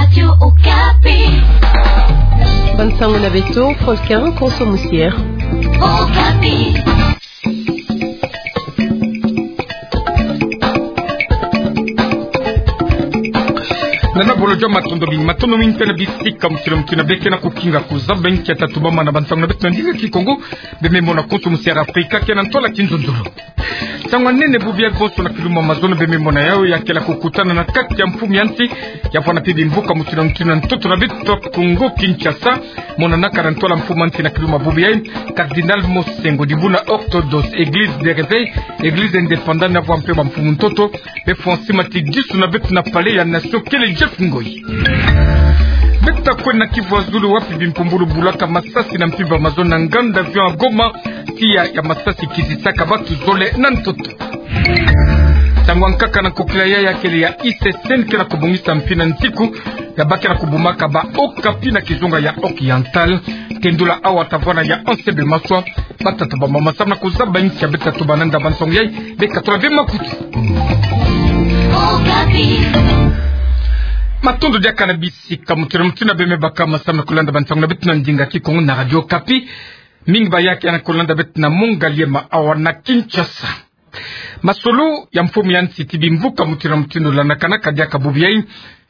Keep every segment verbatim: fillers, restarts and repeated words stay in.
Radio Okapi. Bansango na beto, Faustin Konso Musière. Okapi. Nana bolo jwa matondo mingi, matondo mingi mpe na bisika mutino mutino beke na kukinga kuzaba nkia tatubama na bansango na beto na ndinga Kikongo, beme mona Konso Musière Afrika, ke na ntwala kinzonzolo. Ntangu ya nene bubu ya bonso na kilumbu ya mazono beme mona yayo ya kela kukutana na kati ya mfumu ya nsi, ya vwanda mpe bimvuka mutino mutino na ntoto na beto Kongo Kinshasa, monanaka na ntwala mfumu ya nsi na kilumbu ya bubu yayi, Cardinal Monsengwo, dibundu na Orthodoxe, Église de Réveil, Église Indépendante, na vwa mpe bamfumu ntoto, be fwa nsi matidisu na beto na Palais ya Nation, kele Jeff Ngoyi. Beta kwenda Kivu ya Zulu wapi bimpumbulu bulaka masasi na mpimpa mazono na nganda avion ya Goma, tiya ya masasi kitisaka batu zole na ntoto. Ntangu ya nkaka na nkokila yayi ya kele ya I C C N ke na kubongisa mpi na ntiku ya ba ke na kubumaka ba Okapi na kizunga ya Oriental. Tendula awa ta vwanda ya Anse Bemaswa, bata tubama masamu na kuzaba nkia beta tubana nda bansango yayi, beka tula be makutu. Okapi. Matondo diaka na bisika mutino mutino beme baka masamu na kulanda bansango na beto na ndinga Kikongo na Radio Okapi. Mingi bayaki ya na kulanda beto na mongali ema awa na Kinshasa. Masolo ya mfumu ya nsi ti bimvuka mutino mutino landakanaka diaka bubu yayi,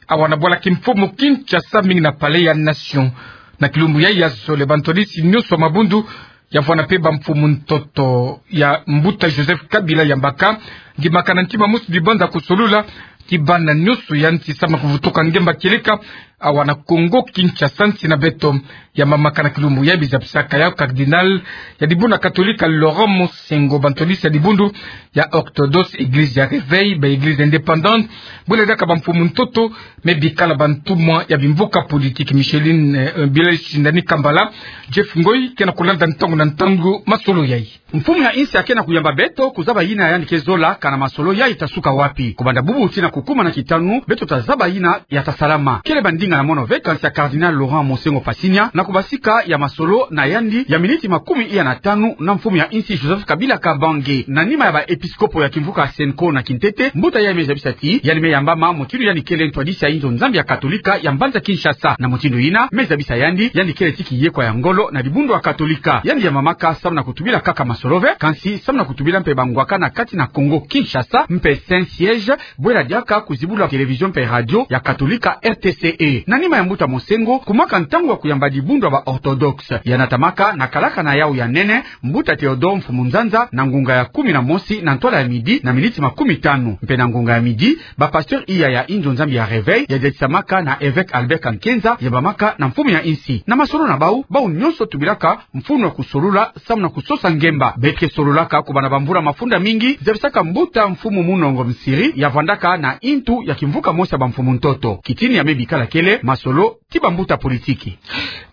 awa na bwala kimfumu Kinshasa, mingi na Palais ya Nation. Na kilumbu yayi ya zole, bantwadisi nyonso ya mabundu ya vwanda mpe bamfumu ntoto ya mbuta Joseph Kabila yambaka ndimaka na ntima mosi bibanza kusolula ti bana nyonso ya nsi samu na kuvutuka ngemba kieleka awa na Kongo Kinshasa, nsi na beto. Yambamaka na kilumbu yayi, bizabisaka yayo Cardinal ya dibundu ya Katolika Laurent Monsengwo, bantwadisi ya dibundu ya Orthodoxe, Église ya Réveil, ba Église Indépendante, bwela diaka bamfumu ntoto, me bikala bantumwa ya bimvuka politique. Micheline, eh, Blaise Shindani Kambala, Jeff Ngoyi ke na kulanda ntangu na ntangu masolo yayi. Mfumu ya nsi ake na kuyamba beto kuzaba yina yandi ke zola, kana masolo yayi ta suka wapi. Kubanda bubu tii na kukuma na kitanu, beto ta zaba yina ya ta salama. Kele ba ndinga na mono ve kansi ya Cardinal Laurent Monsengwo Pasinya na kubasika ya masolo na yandi ya miniti makumi iya na tanu na mfumu ya nsi Joseph Kabila Kabange. Na nima ya ba episkopo ya kimvuka Senko na kintete, mbuta yayi me zabisa ti yandi me yamba ma mutindu yandi kele ntwadisi ya inzo Nzambi ya Katolika ya mbanza Kinshasa. Na mutindu yina me zabisa yandi, yandi kele ti kiyekwa ya ngolo na dibundu ya Katolika. Yandi yambamaka samu na kutubila kaka masolo ve, kansi samu na kutubila mpe bangwaka na kati na Kongo Kinshasa mpe Saint-Siège, bwela diaka kuzibula télévision mpe radio ya Katolika R T C E. Na nima ya mbuta Monsengwo kumwaka ntangu ya kuyamba dibundu ya ba Orthodoxe, ya natamaka na kalaka na yawu ya nene, mbuta Théodore Mfumu Nzanza, na ngunga ya kumi na mosi na ntwala ya midi na miniti makumi tanu. Mpe na ngunga ya midi, ba pasteur iya ya inzo Nzambi ya Réveil ya dadisamaka na évêque Albert Kankienza, yambamaka na mfumu ya nsi. Na masolo na bawu, bawu nyonso tubilaka mfunu ya kusolula samu na kusosa ngemba. Beto ke sololaka kubanda bamvula mafunda mingi, zabisaka mbuta Mfumu Munongo Nsiri ya vwandaka na intu ya kimvuka mosi ya bamfumu ntoto. Kitini ya me bikala kele masolo ti bambuta politiki.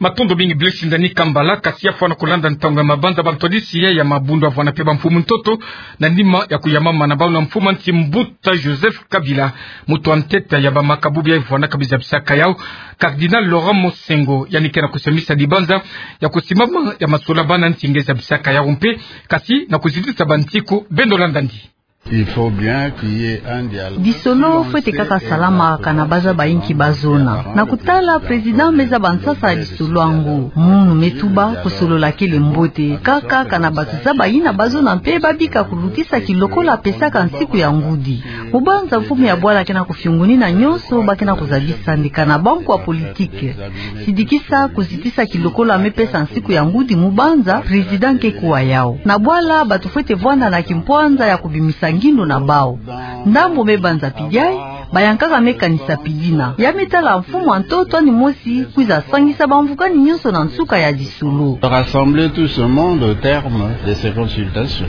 Matondo mingi Blaise Shindani Kambala, kasi ya fwana kulanda ntangu ya mabanza, bantwadisi ya, ya mabundu ya vwanda mpe bamfumu ntoto, na nima ya kuyambama na bawu na mfumu ya nsi mbuta Joseph Kabila, mutu wa ntete ya bamakabubi ya vwandaka bizabisaka yawu, Cardinal Laurent Monsengwo, yandi ke na kusemisa dibanza ya kusimama ya masolo ya bana nsi nge zabisaka yawu mpe, kasi na kuzitisa bantiku. Beno landandi. Il faut bien qu'il y ait un dialogue. Lisolo fwete kaka salama kana bazaba inki bazona. Na kutala président me zaba nsasa ya lisolo yango. Munu me tuba kusolola kele mbote. Kaka kana batu zaba yina bazona mpe babika kulutisa kilokola pesaka nsiku ya ngudi. Mubanza mfumu ya bwala ke na kufiungunina nyonso ba ke na kuzabisa nde kana bantu ya politiki. Sidikisa kuzitisa kilokola me pesa nsiku ya ngudi mubanza président ke kuwa yawu. Na bwala batu fwete vwanda na kimpwanza ya kubimisa ngindu na bawu. Ndambu me banza pidi yayi, bayankaka me kanisa pidi yina. Ya me tala mfumu ya ntoto yandi mosi kwiza sangisa bamvukani nyonso na nsuka ya lisolo. Rassembler tout ce monde au terme de ces consultations.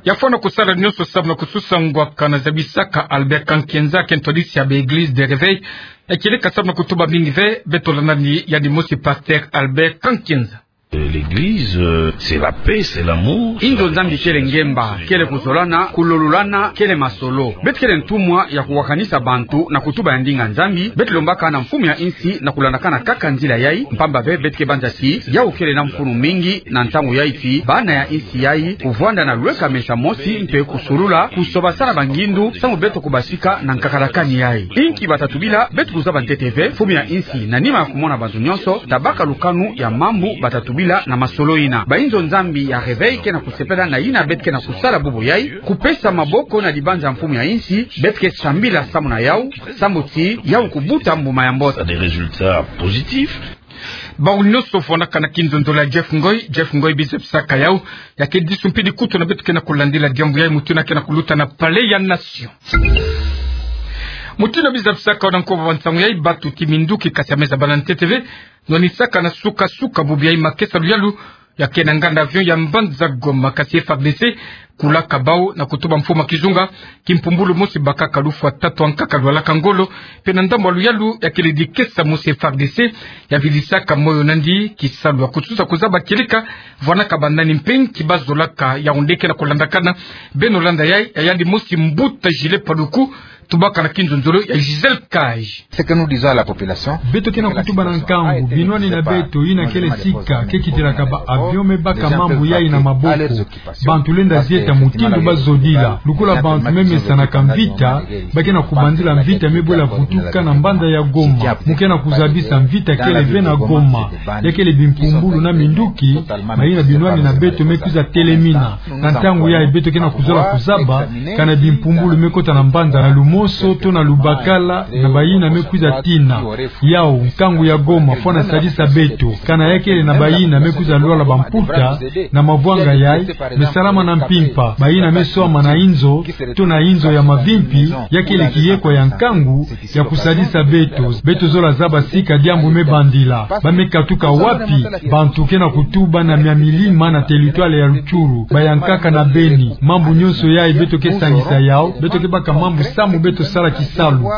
Ya fwana kusala nyonso samu na kusosa ngwaka na zabisaka Albert Kankienza, ke ntwadisi ya ba Église de Réveil, ya kieleka samu na kutuba mingi ve. Beto landani yandi mosi pasteur Albert Kankienza. L'église, euh, c'est la paix, c'est l'amour. Inzo Nzambi kele ngemba, kele kuzolana, kulolulana, kele masolo. Beto kele ntumwa ya kuwakanisa bantu na kutuba ya ndinga Nzambi, beto lombaka na mfumu ya insi na kulandakana kaka nzila yai, mpamba ve beto ke banza ti yau kele na mfunu mingi na ntangu yai ti bana ya insi yai, kuvwanda na lweka mesa mosi mpe kusulula, kusobasana bangindu, samu beto kubasika na nkakalakani yai. Inki bata tubila, beto kuzaba ntete ve, mfumu ya insi, na nima ya kumona bantu nyonso, tabaka lukanu ya mambu bata tubila na masolo yina. Bainzo Nzambi ya Réveil ke na kusepela na yina beto ke na kusala bubu yai, kupesa maboko na dibanza ya mfumu ya insi, beto ke sambila samu na yau, samu ti yau kubuta mbuma ya mbote. Ça a des résultats positifs. Bau nyonso fwanaka na kinzonzolo ya Jeff Ngoy, Jeff Ngoy bizebisaka yau, ya ke disu mpe dikutu na beto ke na kulandila diambu yai, mutindu ke na kuluta na Palais ya Nation. Mutindu bizebisaka yau na nkoba wa nsangu yai, batu ti minduki kati ya meza bala ntete ve, nwanisaka na suka-suka bubu yai makesa luyalu, ya ke na nganda avion ya mbanza Goma, kasi F A R D C kulaka bau na kutuba mfumu ya kizunga, kimpumbulu mosi bakaka lufwa tatu ankaka lwalaka ngolo, mpe na ndambu ya luyalu ya kele dikesa mosi F A R D C ya vidisaka moyo nandi kisalu ya kutusa kuzaba kieleka, vwanaka banani mpe nki bazolaka, yau nde ke na kulandakana. Beno landa yai, ya yandi mosi mbuta Gilles Paluku, tubaka na kinzonzolo ya Gisèle Cage. Ce que nous disons à la population, beto ke na kutuba na nkangu, binwani na beto, yina kele sika ke kitilaka ba avion me baka mambu yai na maboko. Bantu lenda zieta mutindu bazodila. Lukula bantu me mesanaka mvita, ba ke na kubanzila mvita me bwela vutuka na mbanza ya Goma. Mu ke na kuzabisa mvita kele ve na Goma. Ya kele bimpumbulu na minduki, mayina binwani na beto me kwiza telemina. Na ntangu yai beto ke na kuzola kuzaba, kana bimpumbulu me kota na mbanza na lumoso to na lubakala, na bayina me kwiza tina. Yau, nkangu ya Goma fwana sadisa beto, kana ya kele na bayina me kwiza lwala bamputa, na mavwanga yai, me salama na mpimpa, bayina me swama na inzo, to na inzo ya mavimpi, ya kele kiyekwa ya nkangu, ya kusadisa beto, beto zola zaba sika diambu me bandila. Ba me katuka wapi? Bantu ke na kutuba na mia milima na territoire ya Rutshuru, bayankaka na Beni. Mambu nyonso yai beto ke sangisa yau, beto ke baka mambu samu beto sala kisalu.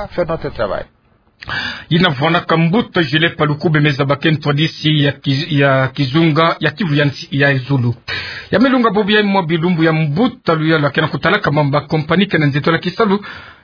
Yina vwanaka mbuta Gilles Paluku, bemeza ba ke ntwadisi ya kiz-, ya kizunga ya Kivu ya nsi-, ya zulu. Ya me lunga bubu yai mwa bilumbu ya mbuta luyalu ya ke na kutalaka mambu ya compagnie ke na nzitula kisalu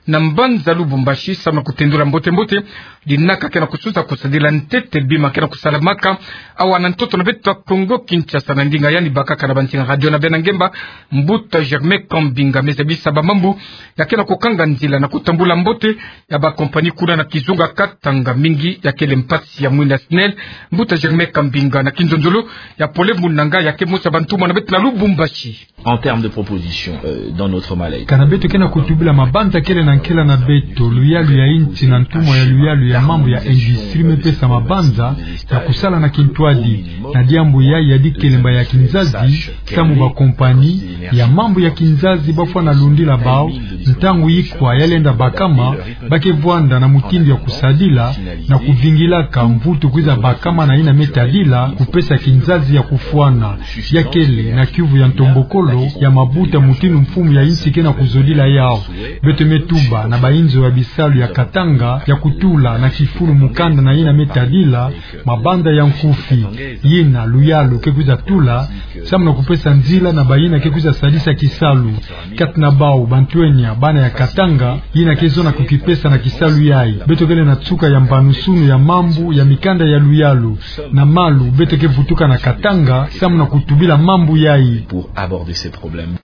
na mbanza Lubumbashi, samu na kutendula mbote-mbote dinaka ke na kususa kusadila ntete bima ke na kusalamaka awa na ntoto na beto ya Kongo Kinshasa. Na ndinga yandi bakaka na bansinga radio na bena ngemba, mbuta Germain Kambinga me zabisa ba mambu ya ke na kukanga nzila na kutambula mbote ya ba compagnie kuna na kizunga Katanga, mingi ya kele mpasi ya mwinda SNEL. Mbuta Germain Kambinga na kinzonzolo ya Paul-Henri Munanga, ya ke mosi ya bantumwa na beto na Lubumbashi. En termes de proposition, euh, dans notre mal-être. Kana beto ke na kutubila mabanza kele na nkela na beto, luyalu ya insi na ntumwa ya luyalu ya mambu ya industrie me pesa mabanza ya kusala na kintwadi, na diambu yai ya dikelemba ya kinzazi, samu ba compagnie ya mambu ya kinzazi ba fwana lundila bau, ntangu ikwa ya lenda bakama, ba ke vwanda na mutindu ya kusadila, na kuvingilaka mvutu kwiza bakama na yina me tadila, kupesa kinzazi ya kufwana. Ya kele na kiuvu ya ntombokolo ya mabuta mutindu mfumu ya insi ke na kuzodila yau. Beto me tuba na bainzo ya bisalu ya Katanga ya kutula na kifulu mukanda na yina me tadila mabanza ya nkufi, yina luyalu ke kwiza tula, samu na kupesa nzila na bayina ke kwiza sadisa kisalu. Kati na bau bantwenia, bana ya Katanga, yina ke zona kukipesa na kisalu yai. Beto kele na nsuka ya mbanusunu ya mambu ya mikanda ya luyalu. Na malu, beto ke vutuka na Katanga, samu na kutubila mambu yai. Pour aborder ces problèmes.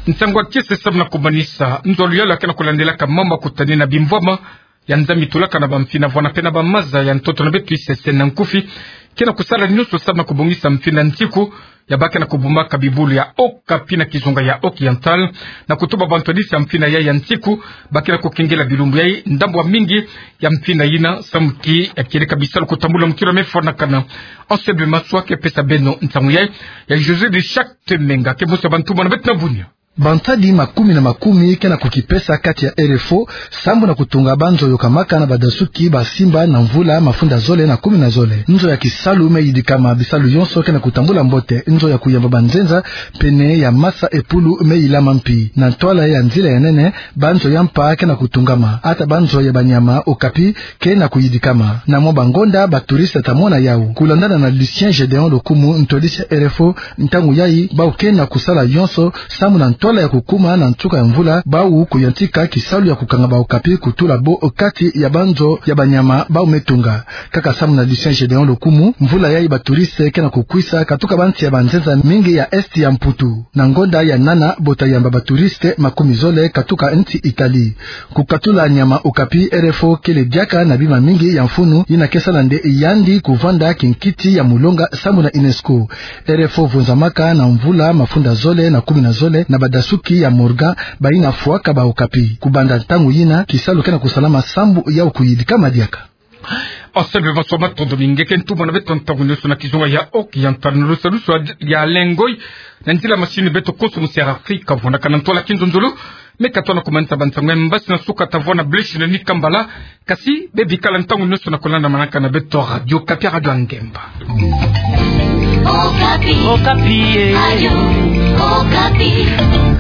Nsangu ya kiese samu na kumanisa, nzo ya luyalu ya ke na kulandelaka mambu ya kutanina bimvwama ya Nzambi tulaka na bamfina vwana mpe na bamaza ya ntoto na beto isese na nkufi, ke na kusala nyonso samu na kubongisa mfina nsiku ya ba ke na kubumaka bibulu ya Haut-Capi na kizunga ya Oriental, na kutuba bantwadisi ya mfina yai ya nsiku, ba ke na kukengela bilumbu yai ndambu ya mingi ya mfina yina, samu ti ya kieleka bisalu kutambula mukila me fwanakana. Anselme Maswa ke pesa beno nsangu yai, ya José de Chactemenga ke mosi ya bantumwa na beto na Bunia. Bantadi makumi na makumi ke na kukipesa kati ya R F O sambu na kutunga banzo yokamaka na badasuki basimba na mvula mafunda zole na kumi na zole. Nzo ya kisalu me yidikama, bisalu yonso ke na kutambula mbote. Nzo ya kuyamba banzenza pene ya masa epulu me yilama mpi. Na ntwala ya nzila ya nene, banzo ya mpa ke na kutungama, ata banzo ya banyama Okapi ke na kuyidikama. Na mwa bangonda, baturiste ta mona yawu. Kulandana na Lucien Gedeon Lokumu, ntwadisi ya R F O, ntangu yayi, bawu ke na kusala yonso sambu na ntwala ya kukuma na nsuka ya mvula, bawu kuyantika kisalu ya kukanga ba Okapi kutula bo kati ya banzo ya banyama bawu me tunga. Kaka sambu na Lucien Gedeon Lokumu, mvula yayi baturiste ke na kukwisa katuka bansi ya banzenza mingi ya Est ya Mputu. Na ngonda ya nana, bo ta yamba baturiste makumi zole katuka nsi Italie. Kukatula nyama Okapi, R F O kele diaka na bima mingi ya mfunu yina ke sala nde yandi kuvanda kinkiti ya mulonga sambu na UNESCO. R F O vunzamaka na mvula mafunda zole na kumi na zole na badasuki ya Morgan, bayina fwaka ba Okapi. Kubanda ntangu yina, kisalu ke na kusalama sambu yawu kuyidikama diaka. Asembe, maswa matondo mingi, ke ntumana beto ntangu nioso na kizunga ya oki ya ntwala na lusalusu ya lengoi, na nzila masini beto konso musi ya Afrika, vwandaka na ntwala kinzonzolo. Me ka tona kumanisa bansango ya mbasi na suka, ta vwa na Blaise Neni Kambala, kasi bebikala ntangu nioso na kulandamanaka na beto Radio Okapi, Radio ya Ngemba. Okapi. Okapi, eh. Radio Okapi.